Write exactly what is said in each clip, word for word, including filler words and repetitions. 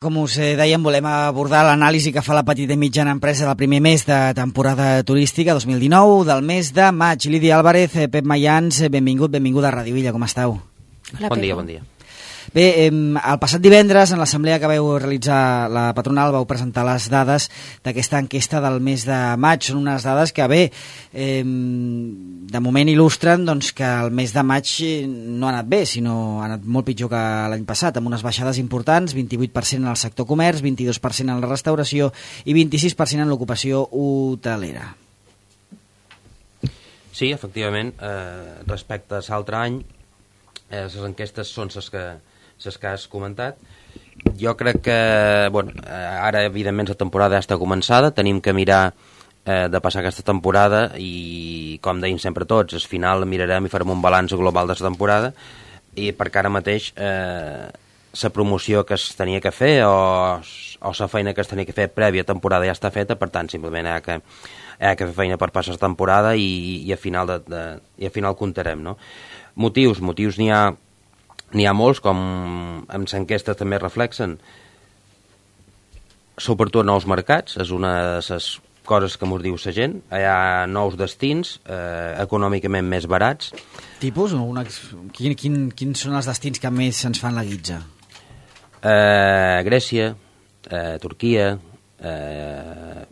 Com us dèiem, volem abordar l'anàlisi que fa la petita i mitjana empresa del primer mes de temporada turística dos mil dinou, del mes de maig. Lídia Álvarez, Pep Mayans, benvingut, benvinguda a Ràdio Illa, com esteu? Hola, bon dia, bon dia. Bé, eh, el passat divendres, en l'assemblea que vau realitzar la patronal, vau presentar les dades d'aquesta enquesta del mes de maig. Són unes dades que, bé, eh, de moment il·lustren doncs, que el mes de maig no ha anat bé, sinó ha anat molt pitjor que l'any passat, amb unes baixades importants, vint-i-vuit per cent en el sector comerç, vint-i-dos per cent en la restauració i vint-i-sis per cent en l'ocupació hotelera. Sí, efectivament, eh, respecte a l'altre any, eh, les enquestes són les que les que has comentat. Jo crec que, bueno, ara evidentment la temporada ja està començada, tenim que mirar eh, de passar aquesta temporada i, com deim sempre tots, al final mirarem i farem un balanç global de la temporada, i perquè ara mateix eh, la promoció que es tenia que fer o, o la feina que es tenia que fer prèvia temporada ja està feta, per tant simplement hi ha que, hi ha que fer feina per passar la temporada i, i, a final de, de, i a final comptarem, no? Motius, motius n'hi ha N'hi ha molts, com amb l'enquesta també reflexen. S'obertura nous mercats, és una de les coses que ens diu la gent. Hi ha nous destins, eh, econòmicament més barats. Tipus? Una, quin, quin, quins són els destins que més ens fan la guitza? Eh, Grècia, eh, Turquia, eh,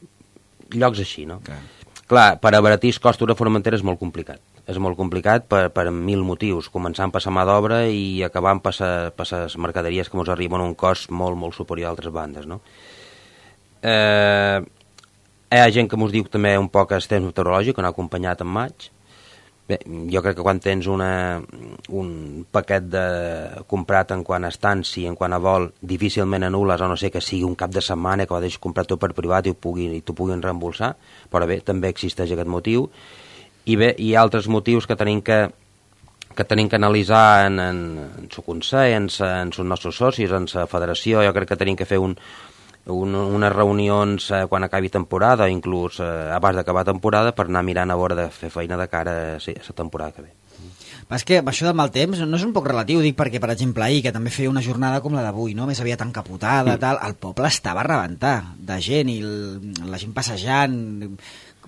llocs així, no? Okay. Clar, per abaratir els costos de Formentera és molt complicat. És molt complicat per, per mil motius, començant per la mà d'obra i acabant per les mercaderies que ens arriben a un cost molt, molt superior a altres bandes, no? Eh, hi ha gent que ens diu també un poc el temps meteorològic, que no ha acompanyat en maig. Bé, jo crec que quan tens una, un paquet de comprat en quant a estanci, en quant a vol, difícilment anules, a no ser que sigui un cap de setmana que ho deixis comprar tu per privat i t'ho puguin, puguin reembolsar, però bé, també existeix aquest motiu. I bé, hi ha altres motius que tenim que, que, tenim que analitzar en, en, en el Consell, en, en els nostres socis, en la federació. Jo crec que tenim que fer un, un, unes reunions eh, quan acabi temporada, inclús eh, abans d'acabar temporada, per anar mirant a veure de fer feina de cara a sí, la temporada que ve. És que això del mal temps no és un poc relatiu, dic perquè, per exemple, ahir, que també feia una jornada com la d'avui, no? Més aviat encapotada, mm. tal, el poble estava a rebentar de gent, i el, la gent passejant,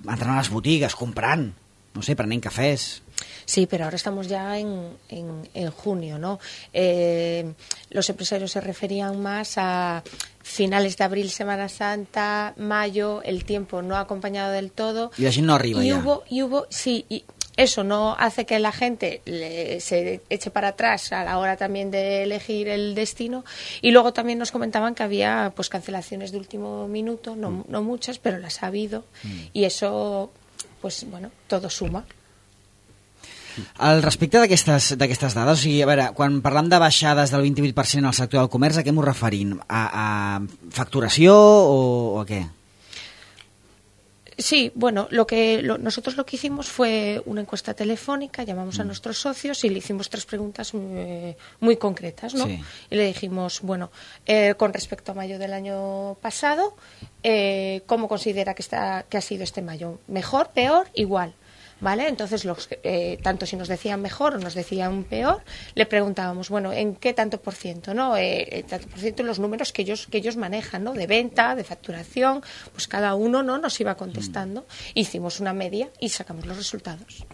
entrant a les botigues, comprant, no sé, prenent cafés. Sí, pero ahora estamos ya en, en, en junio, ¿no? Eh, los empresarios se referían más a finales de abril, Semana Santa, mayo, el tiempo no ha acompañado del todo. Y la gente no arriba y ya. Hubo, y hubo, sí, y eso no hace que la gente le, se eche para atrás a la hora también de elegir el destino. Y luego también nos comentaban que había pues cancelaciones de último minuto, no, mm. no muchas, pero las ha habido. Mm. Y eso, pues bueno, todo suma. Al respecte d'aquestes d'aquestes dades, o sigui, a veure, quan parlam de baixades del vint-i-vuit per cent al sector del comerç, a què m'ho referim? A, a facturació o, o a què? Sí, bueno, lo que lo, nosotros lo que hicimos fue una encuesta telefónica, llamamos mm. a nuestros socios y le hicimos tres preguntas muy, muy concretas, ¿no? Sí. Y le dijimos, bueno, eh, con respecto a mayo del año pasado, eh, ¿cómo considera que está que ha sido este mayo? ¿Mejor, peor, igual? ¿Vale? Entonces, los, eh, tanto si nos decían mejor o nos decían peor, le preguntábamos, bueno, ¿en qué tanto por ciento? ¿No? Eh, tanto por ciento en los números que ellos, que ellos manejan, ¿no? De venta, de facturación, pues cada uno, ¿no? Nos iba contestando. Hicimos una media y sacamos los resultados.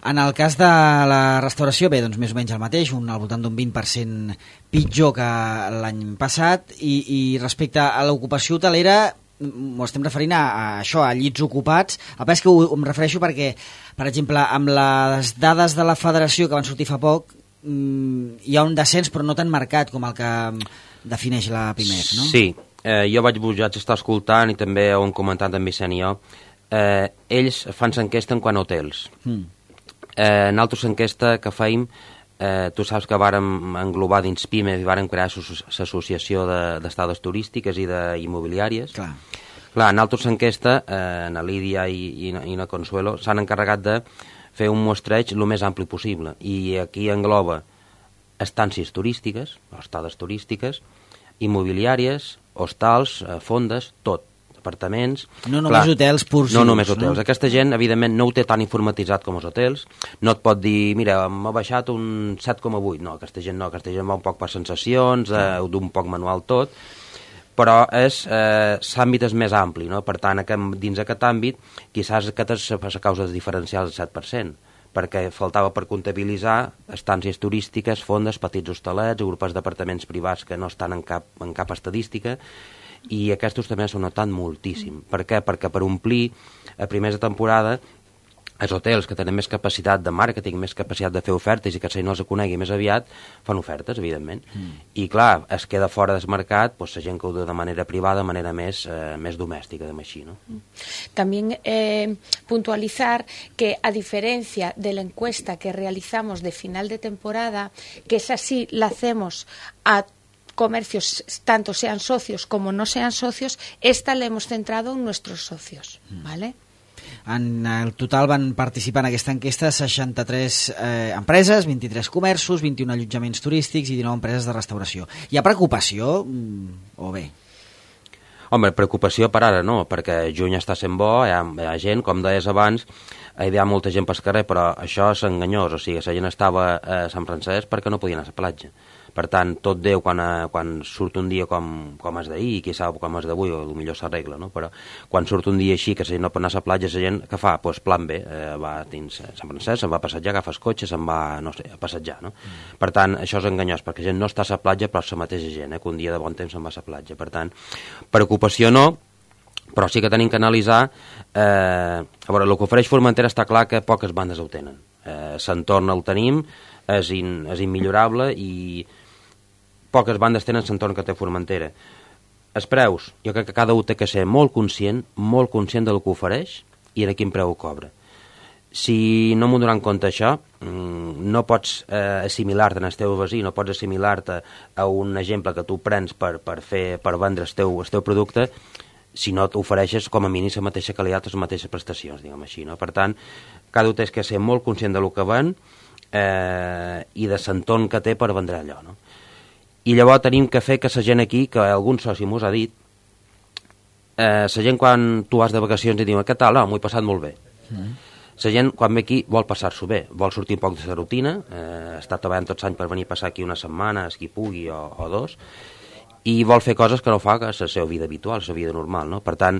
En el cas de la restauració, bé, doncs més o menys el mateix, un, al voltant d'un vint per cent pitjor que l'any passat, i, i respecte a l'ocupació hotelera, m'ho estem referint a, a això, a llits ocupats. El que és que ho, em refereixo perquè, per exemple, amb les dades de la federació que van sortir fa poc, mmm, hi ha un descens però no tan marcat com el que defineix la Pimec, no? Sí, eh, jo vaig vaig estar escoltant i també ho hem comentat en Vicent i jo. Eh, ells fan l'enquesta en quant a hotels. Mm. Eh, en altres enquesta que feim, Eh, tu saps que vàrem englobar dins PIME i vàrem crear l'associació d'estades de, turístiques i d'immobiliàries. Clar. Clar, en altres enquesta, eh, na Lídia i, i, i na Consuelo s'han encarregat de fer un mostreig el més ampli possible, i aquí engloba estàncies turístiques, estades turístiques, immobiliàries, hostals, eh, fondes, tot. apartaments... No només Clar, hotels purs. No només hotels. No? Aquesta gent, evidentment, no ho té tan informatitzat com els hotels. No et pot dir, mira, m'ha baixat un set coma vuit. No, aquesta gent no. Aquesta gent va un poc per sensacions, eh, d'un poc manual tot, però és, eh, l'àmbit és més ampli, no? Per tant, aquest, dins aquest àmbit, quizás aquesta és la causa de diferenciar el set per cent, perquè faltava per comptabilitzar estàncies turístiques, fondes, petits hostalets, grupos d'apartaments privats que no estan en cap, en cap estadística, i aquests també s'han notat moltíssim. Per què? Perquè per omplir a primers de temporada els hotels que tenen més capacitat de màrqueting, més capacitat de fer ofertes i que si no els conegui més aviat, fan ofertes, evidentment. Mm. I clar, es queda fora del mercat pues, la gent que ho diu de manera privada, de manera més, eh, més domèstica, de així, ¿no? También eh, puntualizar que a diferencia de la encuesta que realizamos de final de temporada, que esa sí la hacemos a comercios, tanto sean socios como no sean socios, esta la hemos centrado en nuestros socios, ¿vale? En el total van participar en aquesta enquesta seixanta-tres eh, empreses, vint-i-tres comerços, vint-i-un allotjaments turístics i dinou empreses de restauració. Hi ha preocupació mm, o bé? Home, preocupació per ara no, perquè juny està sent bo, hi ha, hi ha gent, com deies abans, hi ha molta gent pel carrer, però això és enganyós, o sigui, la gent estava a Sant Francesc perquè no podia anar a la platja. Per tant, tot Déu, quan, quan surt un dia com, com és d'ahir, i qui sap com és d'avui, o potser s'arregla, no? Però quan surt un dia així, que la gent no pot anar a la platja, la gent, què fa? Doncs plan B, eh, va dins Sant Francesc, se'n va a passejar, agafa el cotxe, se'n va, no sé, a passejar, no? Mm. Per tant, això és enganyós, perquè la gent no està a la platja, però és la mateixa gent, eh, que un dia de bon temps se'n va a la platja. Per tant, preocupació no, però sí que tenim que analitzar, eh, a veure, el que ofereix Formentera està clar que poques bandes ho tenen. Eh, L'entorn el tenim, és, in, és immillorable i poques bandes tenen l'entorn que té Formentera. Els preus, jo crec que cada un té que ser molt conscient, molt conscient del que ofereix i de quin preu ho cobra. Si no m'ho donar en compte això, no pots eh, assimilar-te en el teu veí, no pots assimilar-te a un exemple que tu prens per, per, fer, per vendre el teu, el teu producte, si no t'ofereixes com a mínim la mateixa qualitat o les mateixes prestacions, diguem així, no? Per tant, cada un té que ser molt conscient del que ven eh, i de l'entorn que té per vendre allò, no? I llavors tenim que fer que la gent aquí, que algun soci m'ho ha dit, eh, la gent quan tu vas de vacacions i diu, què tal? No, m'ho he passat molt bé. Mm. La gent quan ve aquí vol passar-s'ho bé, vol sortir un poc de la rutina, eh, està treballant tots anys per venir a passar aquí una setmana, qui pugui, o, o dos, i vol fer coses que no fa que la seva vida habitual, la seva vida normal, no? Per tant,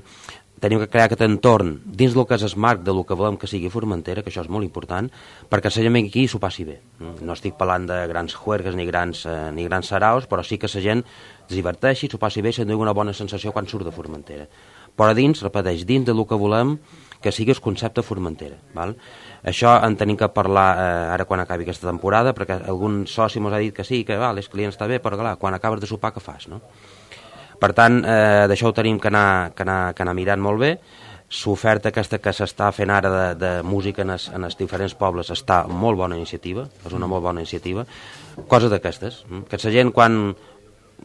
tenim que crear aquest entorn dins del que és el marc del que volem que sigui Formentera, que això és molt important, perquè la gent aquí s'ho passi bé. No estic parlant de grans juergues ni grans, eh, ni grans saraus, però sí que la gent es diverteixi, s'ho passi bé i se'n doni una bona sensació quan surt de Formentera. Però dins, repeteix, dins del que volem que sigui el concepte Formentera. Val? Això en tenim que parlar eh, ara quan acabi aquesta temporada, perquè algun soci ens ha dit que sí, que val, els clients està bé, però clar, quan acabes de sopar, què fas, no? Per tant, eh, d'això ho tenim que anar, que, anar, que anar mirant molt bé. L'oferta aquesta que s'està fent ara de, de música en els, en els diferents pobles està molt bona iniciativa, és una molt bona iniciativa. Coses d'aquestes, que la gent quan,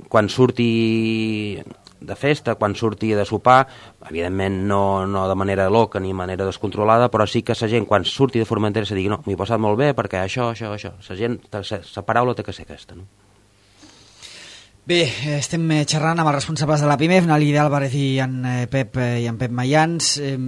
quan surti de festa, quan surti de sopar, evidentment no, no de manera loca ni de manera descontrolada, però sí que la gent quan surti de Formentera se digui no, m'hi he passat molt bé perquè això, això, això. La gent, la paraula té que ser aquesta, no? Bé, estem xerrant amb els responsables de la PIMEF, Nalida Álvarez i en Pep, i en Pep Mayans. En,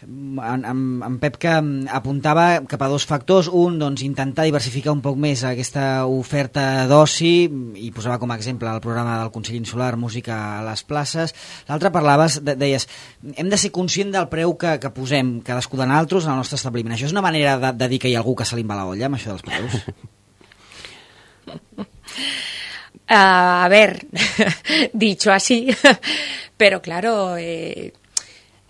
en, en Pep que apuntava cap a dos factors. Un, doncs, intentar diversificar un poc més aquesta oferta d'oci, i posava com a exemple el programa del Consell Insular, Música a les places. L'altre parlaves, de, deies, hem de ser conscient del preu que, que posem cadascú de nosaltres en el nostre establiment. Això és una manera de, de dir que hi ha algú que se li va la olla, amb això dels preus? Uh, a ver, dicho así, pero claro, eh,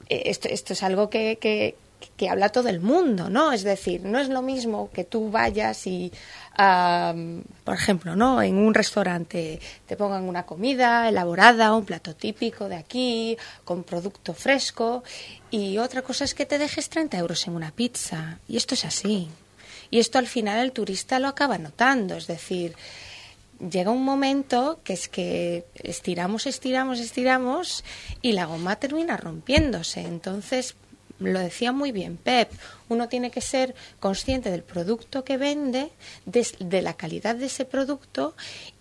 esto, esto es algo que, que, que habla todo el mundo, ¿no? Es decir, no es lo mismo que tú vayas y, uh, por ejemplo, ¿no? En un restaurante te pongan una comida elaborada, un plato típico de aquí, con producto fresco, y otra cosa es que te dejes treinta euros en una pizza, y esto es así. Y esto al final el turista lo acaba notando, es decir, llega un momento que es que estiramos, estiramos, estiramos y la goma termina rompiéndose. Entonces, lo decía muy bien Pep, uno tiene que ser consciente del producto que vende, de, de la calidad de ese producto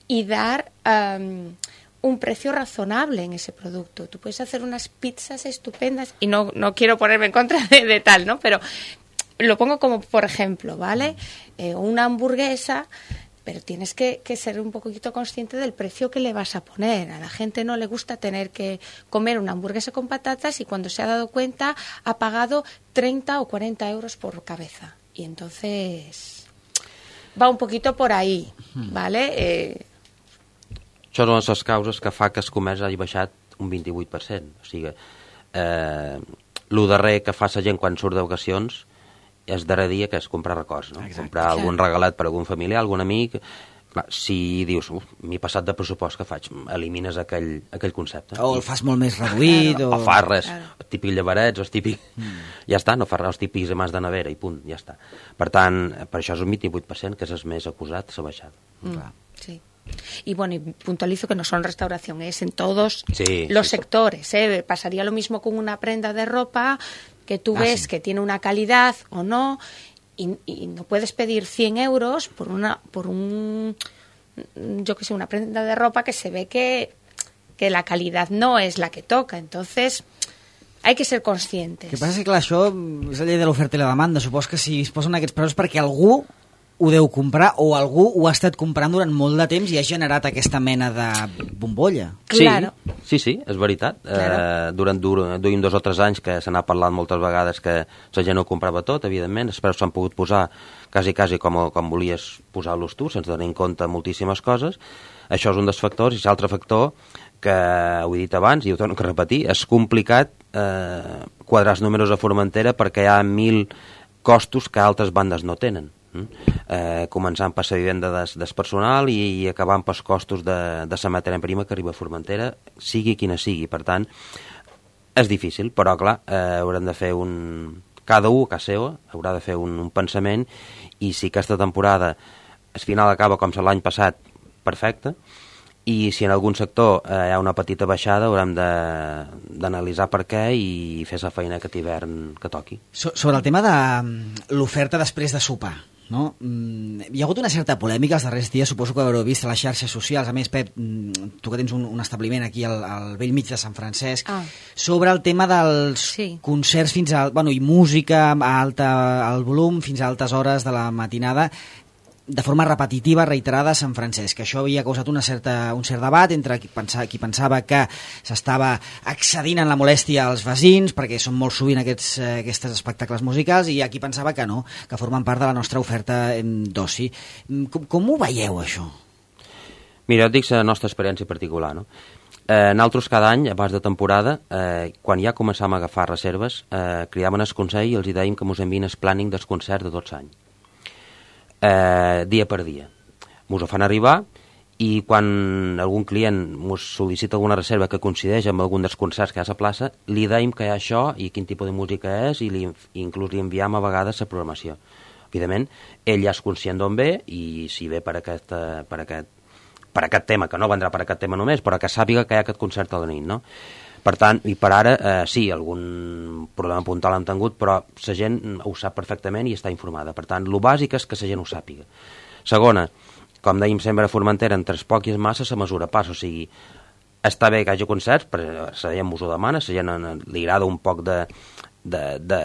y dar um, un precio razonable en ese producto. Tú puedes hacer unas pizzas estupendas y no, no quiero ponerme en contra de, de tal, ¿no? Pero lo pongo como por ejemplo, ¿vale? Eh, una hamburguesa, pero tienes que, que ser un poquito consciente del precio que le vas a poner. A la gente no le gusta tener que comer una hamburguesa con patatas y cuando se ha dado cuenta ha pagado treinta o cuarenta euros por cabeza. Y entonces va un poquito por ahí, ¿vale? Eh, Això són les causes que fa que el comerç hagi baixat un vint-i-vuit per cent. O sigui, eh, el darrer que fa la gent quan surt d'ocasions és darrer dia que és comprar records, no? Exacte. Comprar algun regalat per algun familiar, algun amic. Clar, si dius, m'he passat de pressupost, que faig? Elimines aquell, aquell concepte. O el fas molt més reduït. O, o fas res, el típic llevarets, o el típic... Mm. Ja està, no fas res, els típics amants de nevera i punt, ja està. Per tant, per això és un vint-i-vuit per cent, que és el més acusat, s'ha baixat. Mm. Clar. Sí. Y bueno, y puntualizo que no solo en restauración, es en todos sí, los sí, sectores. ¿eh? Pasaría lo mismo con una prenda de ropa que tú ah, ves sí. que tiene una calidad o no, y, y no puedes pedir cien euros por una por un, yo que sé, una prenda de ropa que se ve que, que la calidad no es la que toca. Entonces, hay que ser conscientes. El que passa és que, clar, això és la llei de l'oferta i la demanda. Supos que si es posen aquests preus perquè algú ho deu comprar o algú ho ha estat comprant durant molt de temps i ha generat aquesta mena de bombolla. Sí, claro. sí, sí, és veritat. Claro. Eh, durant duim dos o tres anys que se n'ha parlat moltes vegades que la gent no comprava tot, evidentment, els preus s'han pogut posar quasi, quasi com, com volies posar-los tu, sense tenir en compte moltíssimes coses. Això és un dels factors, i l'altre factor, que ho he dit abans i ho torno a repetir, és complicat eh, quadrar els números a Formentera perquè hi ha mil costos que altres bandes no tenen. Eh, començant per la vivenda des, des personal i, i acabant pels costos de, de la matèria prima que arriba a Formentera, sigui quina sigui. Per tant, és difícil, però clar, eh, haurem de fer un... cada un a casa seva haurà de fer un, un pensament, i si aquesta temporada al final acaba com l'any passat, perfecte, i si en algun sector eh, hi ha una petita baixada haurem d'analitzar per què i fer la feina aquest hivern que toqui. So, sobre el tema de l'oferta després de sopar, no? Hi ha hagut una certa polèmica els darrers dies, suposo que ho haureu vist a les xarxes socials. A més, Pep, tu que tens un, un establiment aquí al, al vell mig de Sant Francesc, ah. sobre el tema dels sí. concerts fins a... Bueno, i música a alta, al volum fins a altes hores de la matinada, de forma repetitiva, reiterada a Sant Francesc. Això havia causat una certa, un cert debat entre qui pensava, qui pensava que s'estava excedint en la molèstia als veïns, perquè són molt sovint aquests, aquests espectacles musicals, i hi ha qui pensava que no, que formen part de la nostra oferta d'oci. Com, com ho veieu, això? Mira, et dic la nostra experiència particular, no? Eh, nosaltres cada any, abans de temporada, eh, quan ja començàvem a agafar reserves, eh, cridaven el Consell i els dèiem que ens envien el planning dels concerts de tot l'any. Eh, dia per dia. Mos ho fan arribar, i quan algun client mos sol·licita alguna reserva que coincideix amb algun dels concerts que hi ha a la plaça, li deim que hi ha això i quin tipus de música és, i li, inclús li enviem a vegades la programació. Evidentment, ell ja és conscient d'on ve, i si ve per aquest, per aquest, per aquest tema, que no vendrà per aquest tema només, però que sàpiga que hi ha aquest concert a la nit, no? Per tant, i per ara, eh, sí, algun problema puntual hem tingut, però la gent ho sap perfectament i està informada. Per tant, el bàsic és que la gent ho sàpiga. Segona, com dèiem sempre a Formentera, entre els poc i els massa se mesura pas, o sigui, està bé que hi hagi concerts, però la gent us ho demana, la gent li agrada un poc de, de, de,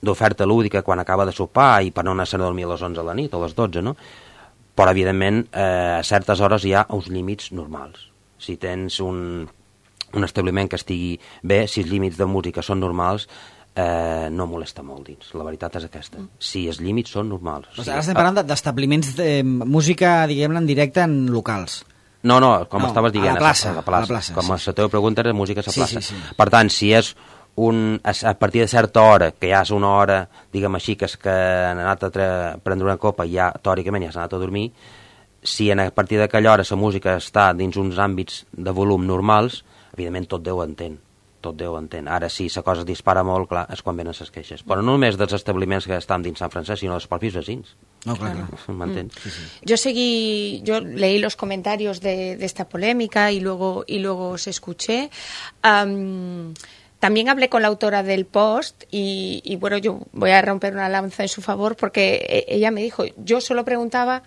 d'oferta lúdica quan acaba de sopar i per no anar-se'n a dormir a les onze de la nit o a les dotze, no? Però, evidentment, eh, a certes hores hi ha uns límits normals. Si tens un... un establiment que estigui bé, si els límits de música són normals, eh, no molesta molt dins. La veritat és aquesta. Si els límits són normals. O sigui, ara estem parlant d'establiments de música, diguem-ne, en directe en locals. No, no, com no, estaves dient. A la plaça. A la plaça. A la plaça com sí. la teva pregunta era música a la plaça. Sí, sí, sí. Per tant, si és un, a partir de certa hora, que ja és una hora, diguem així, que és que han anat a prendre una copa i ja, teòricament, ja s'ha anat a dormir, si a partir d'aquella hora la música està dins uns àmbits de volum normals, evidentment tot Déu entén, tot Déu entén. Ara, si la cosa es dispara molt, clar, és quan venen les queixes. Però no només dels establiments que estan dins Sant Francesc, sinó dels propis vecins. No, claro. claro. ¿M'entens? Mm. Sí, sí. Yo seguí, yo leí los comentarios de, de esta polémica y luego, y luego os escuché. Um, También hablé con la autora del post y, y, bueno, yo voy a romper una lanza en su favor porque ella me dijo, yo solo preguntaba,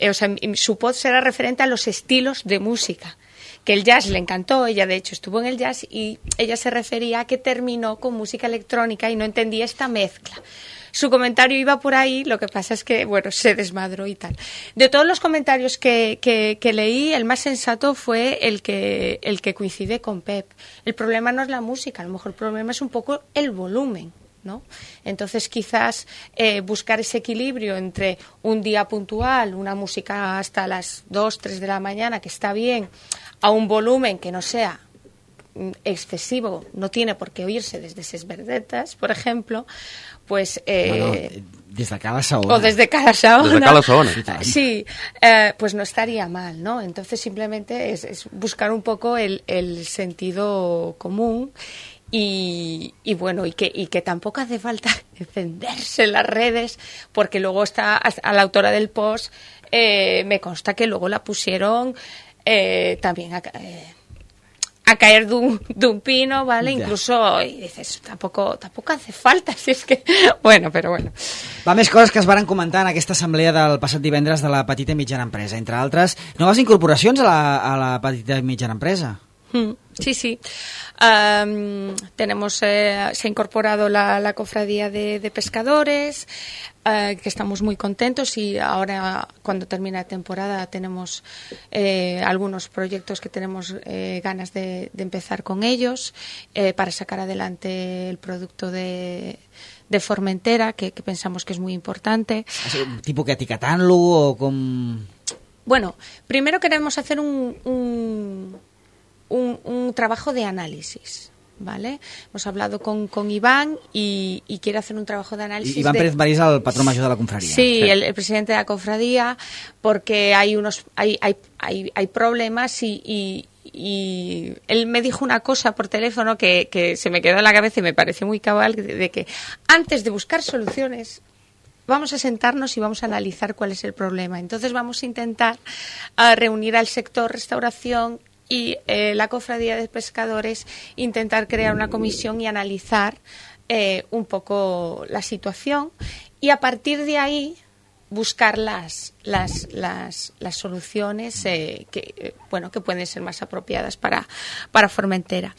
o sea, su post era referente a los estilos de música, que el jazz le encantó, ella de hecho estuvo en el jazz y ella se refería a que terminó con música electrónica y no entendía esta mezcla. Su comentario iba por ahí, lo que pasa es que, bueno, se desmadró y tal. De todos los comentarios que, que, que leí, el más sensato fue el que, el que coincide con Pep. El problema no es la música, a lo mejor el problema es un poco el volumen, ¿no? Entonces, quizás eh, buscar ese equilibrio entre un día puntual, una música hasta las dos, tres de la mañana, que está bien, a un volumen que no sea excesivo, no tiene por qué oírse desde ses verdetas, por ejemplo, pues... Eh, bueno, desde cada saona. O desde cada saona. Desde cada saona. Sí, eh, pues no estaría mal, ¿no? Entonces simplemente es, es buscar un poco el, el sentido común y, y bueno, y que, y que tampoco hace falta encenderse en las redes, porque luego está a la autora del post, eh, me consta que luego la pusieron eh, también a... Eh, a caer de un, de un pino, ¿vale? Ja. Incluso, y dices, tampoco, tampoco hace falta, si és que... Bueno, però bueno. Va, més coses que es varen comentar en aquesta assemblea del passat divendres de la petita i mitjana empresa. Entre altres, noves incorporacions a la, a la petita i mitjana empresa. Mm, sí, sí. Um, tenemos, eh, se ha incorporado la, la cofradía de, de pescadores, uh, que estamos muy contentos y ahora cuando termina la temporada tenemos eh, algunos proyectos que tenemos eh, ganas de, de empezar con ellos eh, para sacar adelante el producto de... de Formentera, que, que pensamos que es muy importante. ¿Tipo que etiquetando o con...? Bueno, primero queremos hacer un... un Un, un trabajo de análisis, ¿vale? Hemos hablado con, con Iván y, y quiere hacer un trabajo de análisis. Iván de... Pérez París, el patrón mayor de la cofradía. Sí, sí. El, el presidente de la cofradía, porque hay unos hay hay hay, hay problemas y, y, y él me dijo una cosa por teléfono que, que se me quedó en la cabeza y me pareció muy cabal, de, de que antes de buscar soluciones vamos a sentarnos y vamos a analizar cuál es el problema. Entonces vamos a intentar uh, reunir al sector restauración y eh, la cofradía de pescadores, intentar crear una comisión y analizar eh, un poco la situación y a partir de ahí buscar las las las, las soluciones eh, que eh, bueno que pueden ser más apropiadas para para Formentera.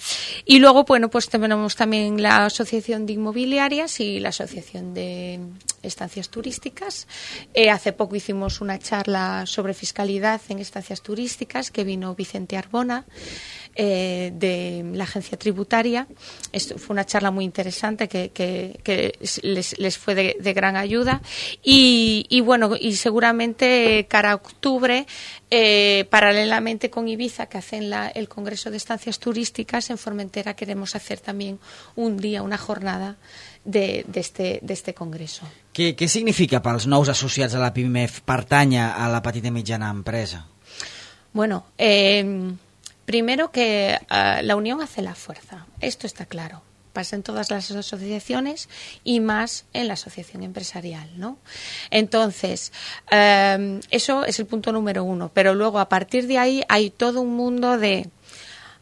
Y luego bueno pues tenemos también la asociación de inmobiliarias y la asociación de estancias turísticas. Eh, hace poco hicimos una charla sobre fiscalidad en estancias turísticas que vino Vicente Arbona eh, de la agencia tributaria. Esto fue una charla muy interesante que, que, que les, les fue de, de gran ayuda y, y bueno y seguramente cara a octubre eh, paralelamente con Ibiza que hacen la, el Congreso de Estancias Turísticas en Formentera queremos hacer también un día, una jornada de, de, este, de este congreso. Què, què significa pels nous associats a la PIMEF pertànyer a la petita i mitjana empresa? Bueno, eh, primero que uh, la unión hace la fuerza, esto está claro. Pasa en todas las asociaciones y más en la asociación empresarial, ¿no? Entonces, eh, eso es el punto número uno, pero luego a partir de ahí hay todo un mundo de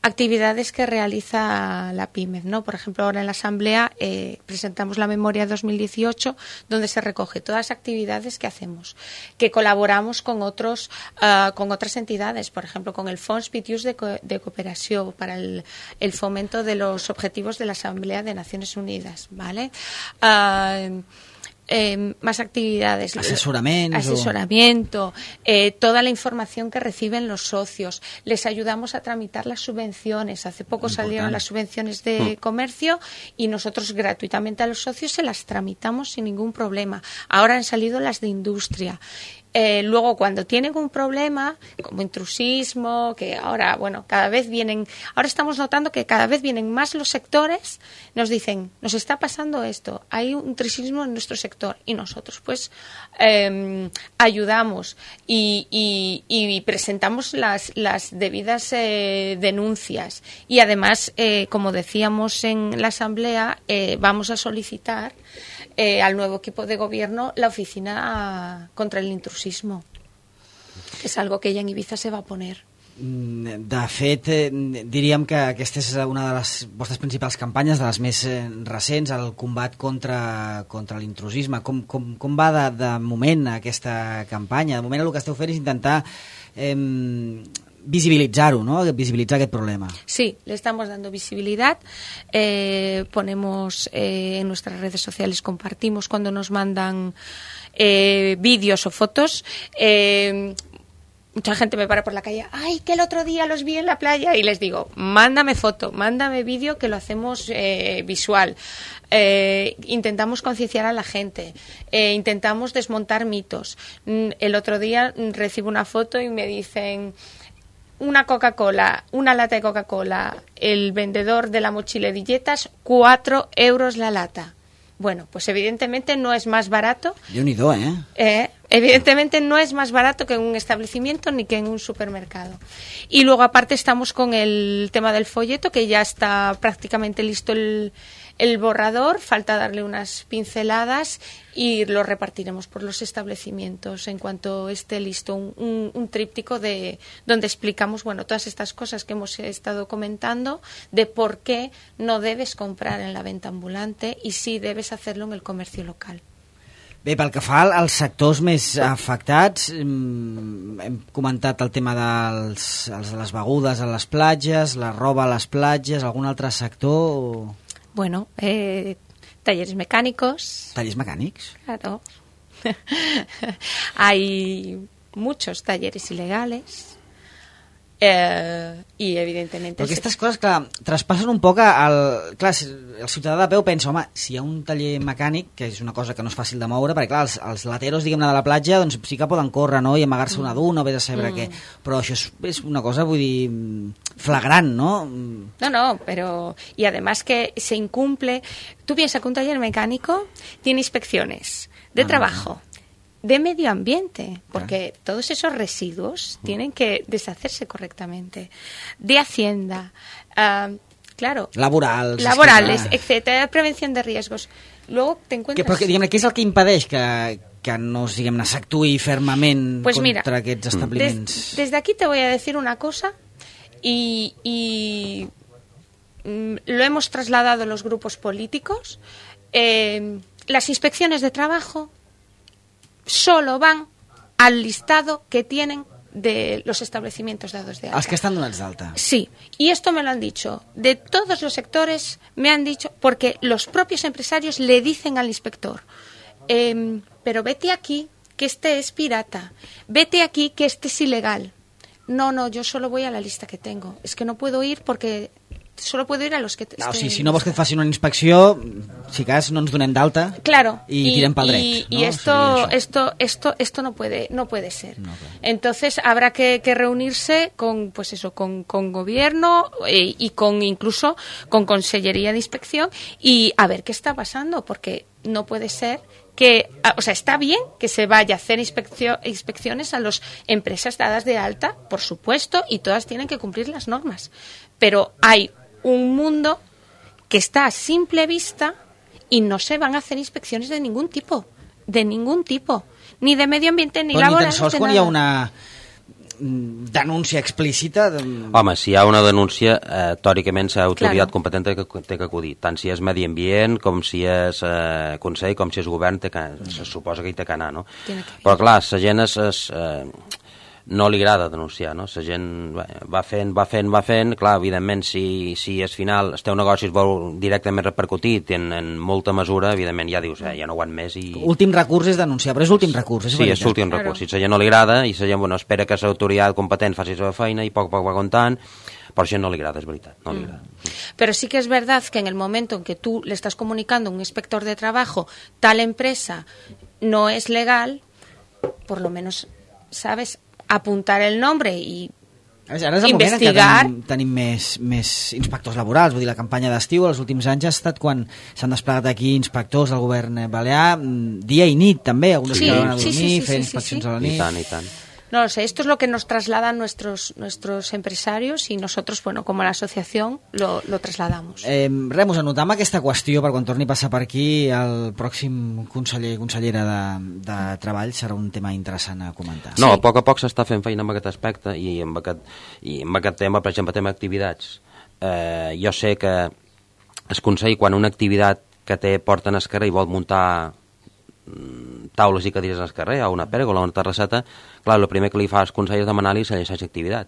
actividades que realiza la PIMEF, ¿no? Por ejemplo, ahora en la Asamblea eh, presentamos la memoria dos mil dieciocho, donde se recoge todas las actividades que hacemos, que colaboramos con otros, uh, con otras entidades, por ejemplo, con el Fons Pitius de, Co de Cooperació para el, el fomento de los objetivos de la Asamblea de Naciones Unidas, ¿vale? Uh, Eh, más actividades, asesoramiento, asesoramiento eh, toda la información que reciben los socios, les ayudamos a tramitar las subvenciones. Hace poco Importante. salieron las subvenciones de mm. comercio y nosotros gratuitamente a los socios se las tramitamos sin ningún problema. Ahora han salido las de industria. Eh, luego, cuando tienen un problema, como intrusismo, que ahora, bueno, cada vez vienen, ahora estamos notando que cada vez vienen más los sectores, nos dicen, nos está pasando esto, hay un intrusismo en nuestro sector, y nosotros, pues, eh, ayudamos y, y, y presentamos las, las debidas eh, denuncias. Y además, eh, como decíamos en la Asamblea, eh, vamos a solicitar Eh, al nuevo equipo de gobierno la oficina contra el intrusismo, que és algo que ella en Ibiza se va a poner. De fet, eh, diríem que aquesta és una de les vostres principals campanyes, de les més eh, recents, el combat contra, contra l'intrusisme. Com, com, com va de, de moment aquesta campanya? De moment el que esteu fent és intentar eh, visibilitzar-ho, ¿no? Visibilitzar aquest problema. Sí, le estamos dando visibilidad. Eh, ponemos eh, en nuestras redes sociales, compartimos cuando nos mandan eh, vídeos o fotos. Eh, mucha gente me para por la calle, ay, que el otro día los vi en la playa, y les digo, mándame foto, mándame vídeo, que lo hacemos eh, visual. Eh, intentamos concienciar a la gente, eh, intentamos desmontar mitos. El otro día recibo una foto y me dicen, una Coca-Cola, una lata de Coca-Cola, el vendedor de la mochila de dietas, cuatro euros la lata. Bueno, pues evidentemente no es más barato. Déu-n'hi-do, ¿eh? Eh, evidentemente no es más barato que en un establecimiento ni que en un supermercado. Y luego aparte estamos con el tema del folleto, que ya está prácticamente listo el, el borrador, falta darle unas pinceladas y lo repartiremos por los establecimientos en cuanto esté listo, un, un, un tríptico de donde explicamos, bueno, todas estas cosas que hemos estado comentando, de por qué no debes comprar en la venta ambulante y sí debes hacerlo en el comercio local. Bé, pel que fa als sectors més afectats, hem comentat el tema dels, els de les begudes a les platges, la roba a les platges, algun altre sector? Bueno, eh, talleres mecánicos. ¿Talleres mecánicos? Claro. Hay muchos talleres ilegales. Eh, i evidentment... Però aquestes coses, clar, traspassen un poc al... Clar, el ciutadà de peu pensa, home, si hi ha un taller mecànic, que és una cosa que no és fàcil de moure, perquè clar, els, els lateros, diguem-ne, de la platja, doncs sí que poden córrer, no?, i amagar-se una duna o vés a saber mm. què. Però això és, és una cosa, vull dir, flagrant, ¿no? No, no, pero... Y además que se incumple... Tú piensas que un taller mecánico tiene inspecciones de ah, trabajo... No. De medio ambiente, porque claro, todos esos residuos uh. tienen que deshacerse correctamente, de Hacienda, uh, claro, laborals, laborales, que, etcétera, prevención de riesgos. Luego te encuentras... Que, però, diguem-ne, què és el que impedeix que, que no, diguem-ne, s'actuï fermament pues contra mira, aquests establiments? Des, desde aquí te voy a decir una cosa y, y mm, lo hemos trasladado los grupos políticos. Eh, las inspecciones de trabajo solo van al listado que tienen de los establecimientos dados de alta. ¿Los que están donados de alta? Sí, y esto me lo han dicho. De todos los sectores me han dicho, porque los propios empresarios le dicen al inspector, eh, pero vete aquí que este es pirata, vete aquí que este es ilegal. No, no, yo solo voy a la lista que tengo. Es que no puedo ir porque... solo puedo ir a los que... No, o sigui, si no vols que et facin una inspecció, si cas no ens donem d'alta claro, y, y tirem pel dret. Y, ¿no? y esto, o sea, esto, esto, esto no puede, no puede ser. No, claro. Entonces habrá que, que reunirse con, pues eso, con, con gobierno y, y con incluso con Consellería de Inspección y a ver qué está pasando, porque no puede ser que, o sea, está bien que se vaya a hacer inspeccio, inspecciones a las empresas dadas de alta, por supuesto, y todas tienen que cumplir las normas, pero hay un mundo que está a simple vista y no se van a hacer inspecciones de ningún tipo, de ningún tipo, ni de medio ambiente ni laboral. Ni tan sols quan hi ha una denúncia explícita... De... Home, si hi ha una denúncia, eh, teòricament l'autoritat claro, competent té que, té que acudir, tant si és medi ambient com si és eh, Consell, com si és govern, té que, se suposa que hi té que anar, no? Que... Però clar, la gent és... és eh, no li agrada denunciar, no? La gent va fent, va fent, va fent, clar, evidentment, si, si al final el teu negoci es vol directament repercutir en, en molta mesura, evidentment ja dius, eh, ja no aguant més i... Últim recurs és denunciar, però és l'últim recurs, és sí, és l'últim recurs, si a la gent no li agrada i la gent, bueno, espera que l'autoritat competent faci la seva feina i poc a poc va comptant, però a la gent no li agrada, és veritat, no li agrada. Mm. Pero sí que es verdad que en el momento en que tú le estás comunicando a un inspector de trabajo, tal empresa no es legal, por lo menos, ¿sabes?, apuntar el nombre i ara és el investigar... moment en què tenim, tenim més, més inspectors laborals, vull dir, la campanya d'estiu els últims anys ha estat quan s'han desplegat aquí inspectors del govern balear dia i nit també, alguns sí, que van a dormir, sí, sí, sí, fer sí, inspeccions sí, sí. a la nit. I tant, i tant. No lo sé, esto es lo que nos trasladan nuestros nuestros empresarios y nosotros, bueno, como la asociación, lo, lo trasladamos. Eh, Remus, anotam aquesta qüestió per quan torni a passar per aquí el pròxim conseller consellera de, de Treball, serà un tema interessant a comentar. No, sí. a poc a poc s'està fent feina amb aquest aspecte i amb aquest, i amb aquest tema, per exemple, tema activitats. Eh, jo sé que el Consell, quan una activitat que té porten al carrer i vol muntar taules i cadires al carrer, a una pèrgola o una terrasseta, clar, el primer que li fa al Consell és demanar-li la llicència d'activitat.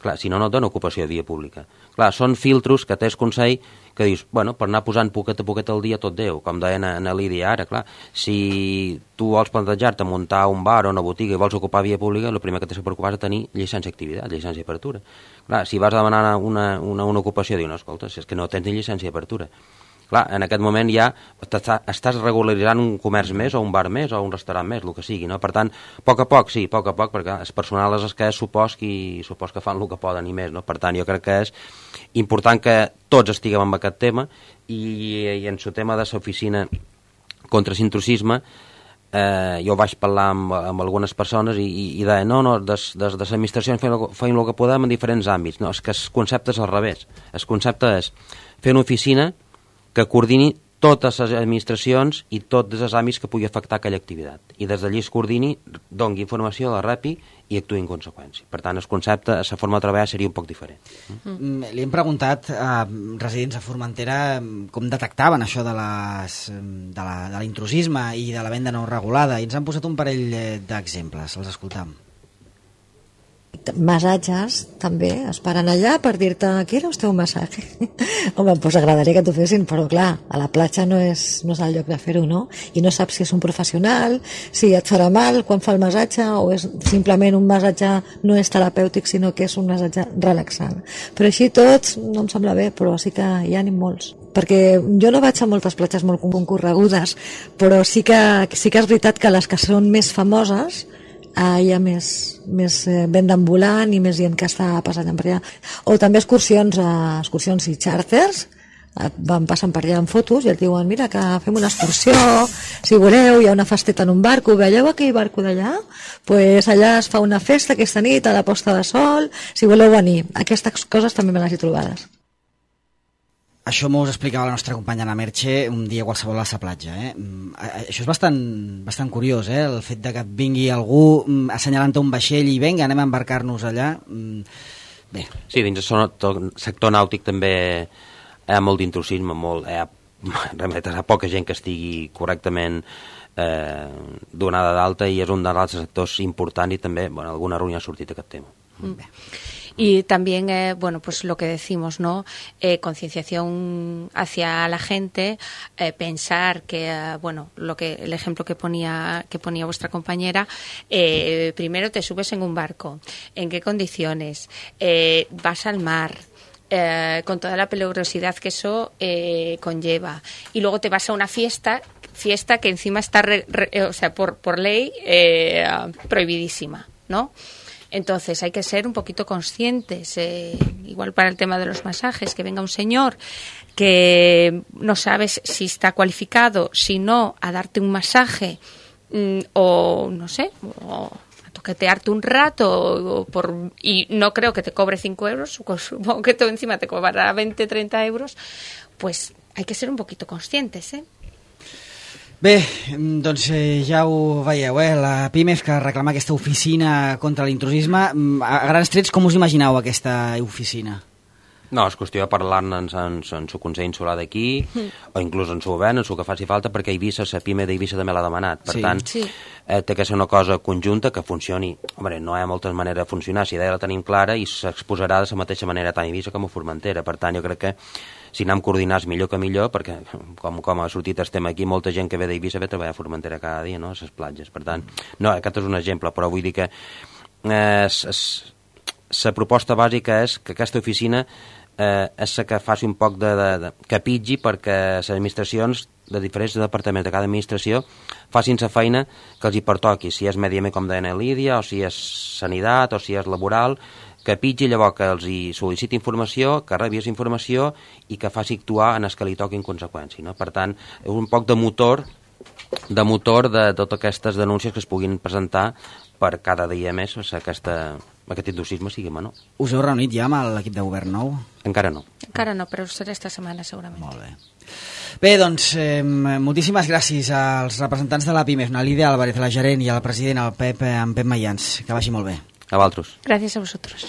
Clar, si no, no et dona ocupació de via pública. Clar, són filtros que tens consell que dius, bueno, per anar posant poquet a poquet al dia tot Déu, com deia en Lídia ara, clar, si tu vols plantejar-te muntar un bar o una botiga i vols ocupar via pública, el primer que t'has de preocupar és de tenir llicència d'activitat, llicència d'apertura. Clar, si vas a demanar una, una, una ocupació, dius, no, escolta, si és que no tens ni llicència d'apertura. Clar, en aquest moment ja estàs regularitzant un comerç més o un bar més o un restaurant més, el que sigui, no? Per tant, a poc a poc, sí, a poc a poc, perquè el personal és el que és, supos, qui, supos que fan el que poden i més, no? Per tant, jo crec que és important que tots estiguem amb aquest tema i, i en el tema de l'oficina contra l'intrusisme, eh, jo vaig parlar amb, amb algunes persones i, i, i deia, no, no, des, des de l'administració feim el que podem en diferents àmbits. No, és que el concepte és al revés. El concepte és fer una oficina que coordini totes les administracions i tots els àmbits que pugui afectar aquella activitat. I des d'allí es coordini, doni informació, la repi i actuï en conseqüència. Per tant, el concepte, la forma de treballar seria un poc diferent. Mm. Li hem preguntat a residents a Formentera com detectaven això de, les, de, la, de l'intrusisme i de la venda no regulada i ens han posat un parell d'exemples. Els escoltam. Massatges també es paren allà per dir-te quiere usted un massatge. Home, doncs agradaria que t'ho fessin, però clar, a la platja no és, no és el lloc de fer-ho, no? I no saps si és un professional, si et farà mal quan fa el massatge o és simplement un massatge no és terapèutic sinó que és un massatge relaxant. Però així tots no em sembla bé, però sí que hi ha ni molts. Perquè jo no vaig a moltes platges molt concorregudes, però sí que, sí que és veritat que les que són més famoses Uh, hi ha més, més eh, venda ambulant i més gent que està passant per allà. O també excursions, uh, excursions i xàrters, uh, van passant per allà amb fotos i et diuen, mira que fem una excursió, si voleu, hi ha una festeta en un barco, veieu aquell barco d'allà? Pues allà es fa una festa aquesta nit a la posta de sol, si voleu venir. Aquestes coses també me les he trobades. Això m'ho explicava la nostra companya Ana Merche un dia qualsevol a la platja. Eh? Això és bastant, bastant curiós, eh? El fet de que vingui algú assenyalant un vaixell i vinga, anem a embarcar-nos allà. Bé. Sí, dins el sector nàutic també hi ha molt d'intrusisme, molt, hi ha, hi ha poca gent que estigui correctament eh, donada d'alta i és un dels sectors importants i també, bueno, alguna reunió ha sortit aquest tema. Mm. Bé. Y también, eh, bueno, pues lo que decimos, ¿no? Eh, concienciación hacia la gente, eh, pensar que, eh, bueno, lo que el ejemplo que ponía que ponía vuestra compañera, eh, primero te subes en un barco, ¿en qué condiciones? Eh, vas al mar. Eh, con toda la peligrosidad que eso eh, conlleva, y luego te vas a una fiesta fiesta que encima está re, re, o sea por por ley eh, prohibidísima, ¿no? Entonces hay que ser un poquito conscientes, eh, igual para el tema de los masajes, que venga un señor que no sabes si está cualificado, si no, a darte un masaje mmm, o no sé, o a toquetearte un rato o por, y no creo que te cobre cinco euros, supongo que todo encima te cobrará veinte, treinta euros, pues hay que ser un poquito conscientes, ¿eh? Bé, doncs eh, ja ho veieu, eh? La PIMEF que reclama aquesta oficina contra l'intrusisme. A grans trets, com us imagineu aquesta oficina? No, és qüestió de parlar-ne en, en, en su Consell Insular d'aquí, mm. o inclús en su govern, en su que faci falta, perquè Eivissa, la PIME d'Eivissa també l'ha demanat. Per sí. tant, sí. eh, té que ser una cosa conjunta que funcioni. Home, no hi ha moltes maneres de funcionar, si d'ella la tenim clara i s'exposarà de la mateixa manera tant a Eivissa com a Formentera. Per tant, jo crec que si anem coordinats millor que millor, perquè com, com ha sortit el tema aquí, molta gent que ve d'Eivissa ve a treballar a Formentera cada dia, no?, a les platges. Per tant, no, aquest és un exemple, però vull dir que eh, la proposta bàsica és que aquesta oficina eh, és la que faci un poc de, de, de que pitgi perquè les administracions de diferents departaments de cada administració facin la feina que els hi pertoqui, si és medi ambient com deia Lídia, o si és sanitat, o si és laboral, que pitgi, llavors que els hi sol·liciti informació, que rebi informació i que faci actuar en el que li toqui en conseqüència, no? Per tant, és un poc de motor de motor de totes aquestes denúncies que es puguin presentar per cada dia més aquesta, aquest intrusisme sigui menor. Us heu reunit ja amb l'equip de govern nou? Encara no. Encara no, però serà esta setmana segurament. Molt bé. Bé, doncs, eh, moltíssimes gràcies als representants de la PIMEF, a Lídia Álvarez, la gerent, i al president, el Pep, en Pep Mayans. Que vagi molt bé. A vosaltres. Gràcies a vosaltres.